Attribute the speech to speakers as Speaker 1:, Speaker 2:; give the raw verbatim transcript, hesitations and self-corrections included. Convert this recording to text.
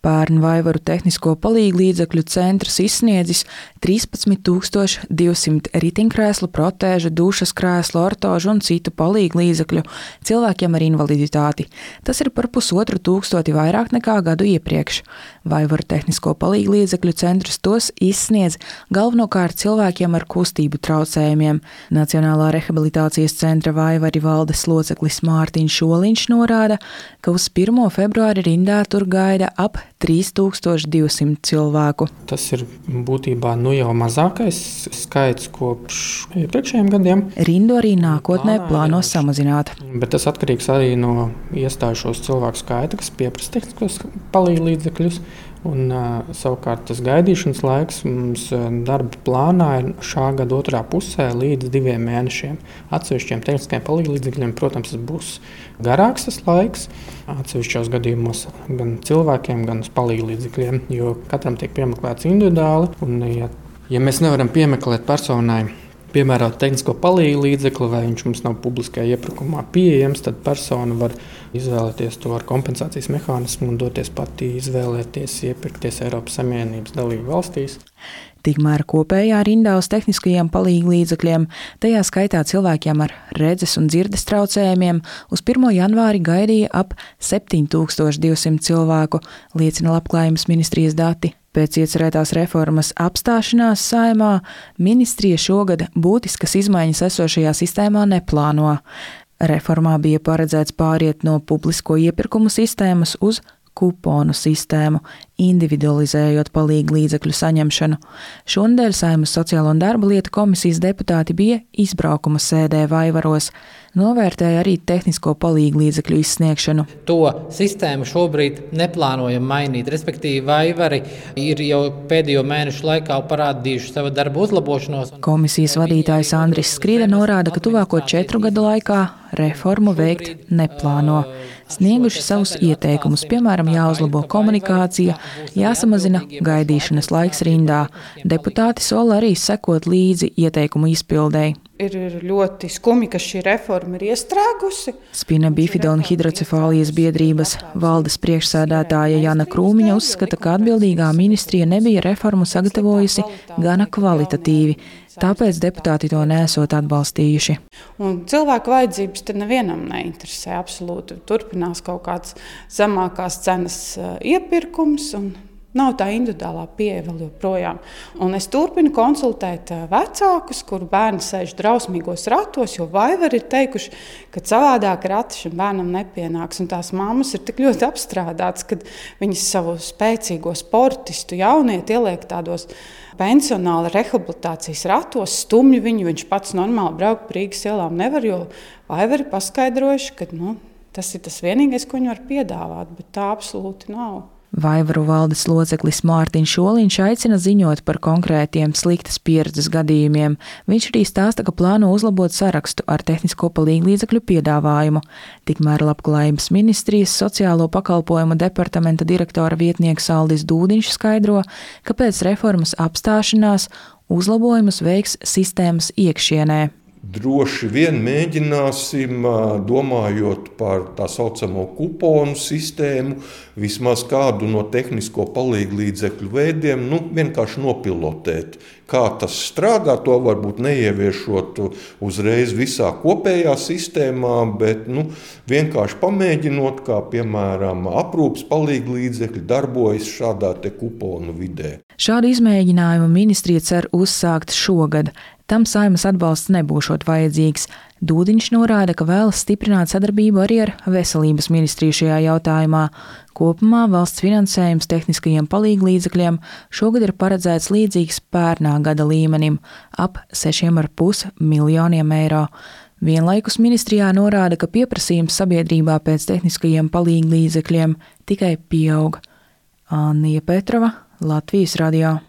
Speaker 1: Pērn Vaivaru tehnisko palīglīdzekļu centrs izsniedzis trīspadsmit tūkstoši divsimt riteņkrēslu, protēžu, dušas krēslu, ortožu un citu palīglīdzekļu cilvēkiem ar invaliditāti. Tas ir par pusotru tūkstoti vairāk nekā gadu iepriekš. Vaivaru tehnisko palīglīdzekļu centrs tos izsniedz galvenokārt cilvēkiem ar kustību traucējumiem. Nacionālā rehabilitācijas centra Vaivari valdes loceklis Mārtiņš Šoliņš norāda, ka uz pirmo februāri rindā tur gaida ap trīs tūkstoši divsimt cilvēku.
Speaker 2: Tas ir būtībā nu jau mazākais skaits kopš iepriekšējiem gadiem.
Speaker 1: Rindu arī nākotnē plāno samazināt.
Speaker 2: Bet tas atkarīgs arī no iestājušos cilvēku skaita, kas pieprasa tehniskos palīglīdzekļus. Un, uh, savukārt tas gaidīšanas laiks mums uh, darba plānā ir šā gada otrā pusē līdz diviem mēnešiem. Atsevišķiem tehniskajiem palīglīdzekļiem, protams, tas būs garāks tas laiks. Atsevišķos gadījumos gan cilvēkiem, gan uz palīglīdzekļiem, jo katram tiek piemeklēts individuāli. Un, ja, ja mēs nevaram piemeklēt personai piemērot tehnisko palīglīdzekli, vai viņš mums nav publiskajā iepirkumā pieejams, tad persona var izvēlēties to ar kompensācijas mehānismu un doties pati izvēlēties iepirkties Eiropas Savienības dalību valstīs.
Speaker 1: Tikmēr kopējā rindā uz tehniskajiem palīglīdzekļiem, tajā skaitā cilvēkiem ar redzes un dzirdes traucējumiem, uz pirmo janvāri gaidīja ap septiņi tūkstoši divsimt cilvēku, liecina Labklājības ministrijas dati. Pēc iecerētās reformas apstāšanās Saeimā ministrija šogad būtiskas izmaiņas esošajā sistēmā neplāno. Reformā bija paredzēts pāriet no publisko iepirkumu sistēmas uz kuponu sistēmu, individualizējot palīglīdzekļu saņemšanu. Šonedēļ Saeimas Sociālo un darba lietu komisijas deputāti bija izbraukuma sēdē Vaivaros, novērtēja arī tehnisko palīglīdzekļu izsniegšanu.
Speaker 3: To sistēmu šobrīd neplānojam mainīt, respektīvi Vaivari ir jau pēdējo mēnešu laikā parādījuši savu darbu uzlabošanos.
Speaker 1: Komisijas vadītājs Andris Skrida norāda, ka tuvāko četru gadu laikā reformu veikt neplāno. Snieguši savus ieteikumus, piemēram, jāuzlabo komunikācija, jāsamazina gaidīšanas laiks rindā. Deputāti sola arī sekot līdzi ieteikumu izpildēji.
Speaker 4: Ir ļoti skumji, ka šī reforma ir iestrēgusi.
Speaker 1: Spina bifida un hidrocefālijas biedrības valdes priekšsēdētāja Jana Krūmiņa uzskata, ka atbildīgā ministrija nebija reformu sagatavojusi gana kvalitatīvi. Tāpēc deputāti to neesot atbalstījuši.
Speaker 4: Un cilvēku vajadzības te nevienam neinteresē absolūti. Turpinās kaut kāds zemākās cenas iepirkums un nav tā individuālā pieeja vēl joprojām. Un es turpinu konsultēt vecākus, kuru bērni sēž drausmīgos ratos, jo Vaivari ir teikuši, ka savādāk rati šim bērnam nepienāks. Un tās mammas ir tik ļoti apstrādātas, kad viņas savu spēcīgo sportistu jaunieti ieliek tādos pensionāla rehabilitācijas ratos, stumj viņu, viņš pats normāli braukt pa Rīgas ielām nevar, jo Vaivari paskaidrojuši, ka nu, tas ir tas vienīgais, ko viņi var piedāvāt, bet tā absolūti nav.
Speaker 1: Vaivaru valdes loceklis Mārtiņš Šoliņš aicina ziņot par konkrētiem sliktas pieredzes gadījumiem. Viņš arī stāsta, ka plāno uzlabot sarakstu ar tehnisko palīglīdzekļu piedāvājumu. Tikmēr Labklājības ministrijas sociālo pakalpojumu departamenta direktora vietnieks Aldis Dūdiņš skaidro, ka pēc reformas apstāšanās uzlabojumus veiks sistēmas iekšienē.
Speaker 5: Droši vien mēģināsim, domājot par tā saucamo kuponu sistēmu, vismaz kādu no tehnisko palīglīdzekļu veidiem, nu, vienkārši nopilotēt. Kā tas strādā, to varbūt neieviešot uzreiz visā kopējā sistēmā, bet nu, vienkārši pamēģinot, kā piemēram aprūpes palīglīdzekļi darbojas šādā te kuponu vidē.
Speaker 1: Šādu izmēģinājumu ministrija cer uzsākt šogad. Tam Saeimas atbalsts nebūšot vajadzīgs. Dūdiņš norāda, ka vēlas stiprināt sadarbību arī ar Veselības ministriju šajā jautājumā. Kopumā valsts finansējums tehniskajiem palīglīdzekļiem šogad ir paredzēts līdzīgs pērnā gada līmenim – ap sešiem ar pus miljoniem eiro. Vienlaikus ministrijā norāda, ka pieprasījums sabiedrībā pēc tehniskajiem palīglīdzekļiem tikai pieaug. Annija Petrova, Latvijas radio.